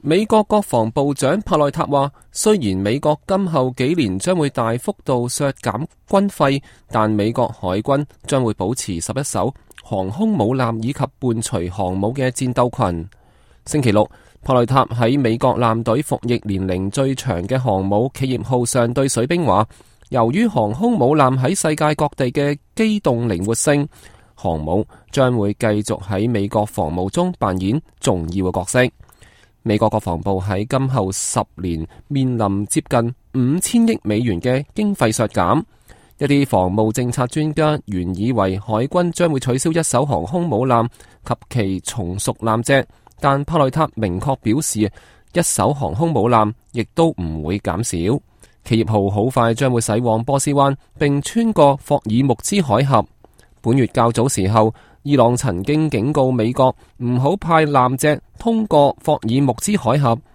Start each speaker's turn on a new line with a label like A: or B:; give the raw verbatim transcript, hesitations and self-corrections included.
A: 美國國防部長帕內塔話，雖然美國今後幾年將會大幅度削減軍費，但美國海軍將會保持十一艘航空母艦以及伴隨航母嘅戰鬥群。星期六，帕內塔喺美國艦隊服役年齡最長嘅航母企業號上對水兵話，由於航空母艦喺世界各地嘅機動靈活性，航母將會繼續喺美國防務中扮演重要嘅角色。美國國防部喺今後十年面臨接近五千億美元嘅經費削減。一啲防務政策專家原以為海軍將會取消一艘航空母艦及其從屬艦隻，但帕內塔明確表示，一艘航空母艦亦都唔會減少。企業號好快將會駛往波斯灣，並穿過霍爾木茲海峽。本月較早時候，伊朗曾經警告美國唔好派艦隻通過霍爾木茲海峽，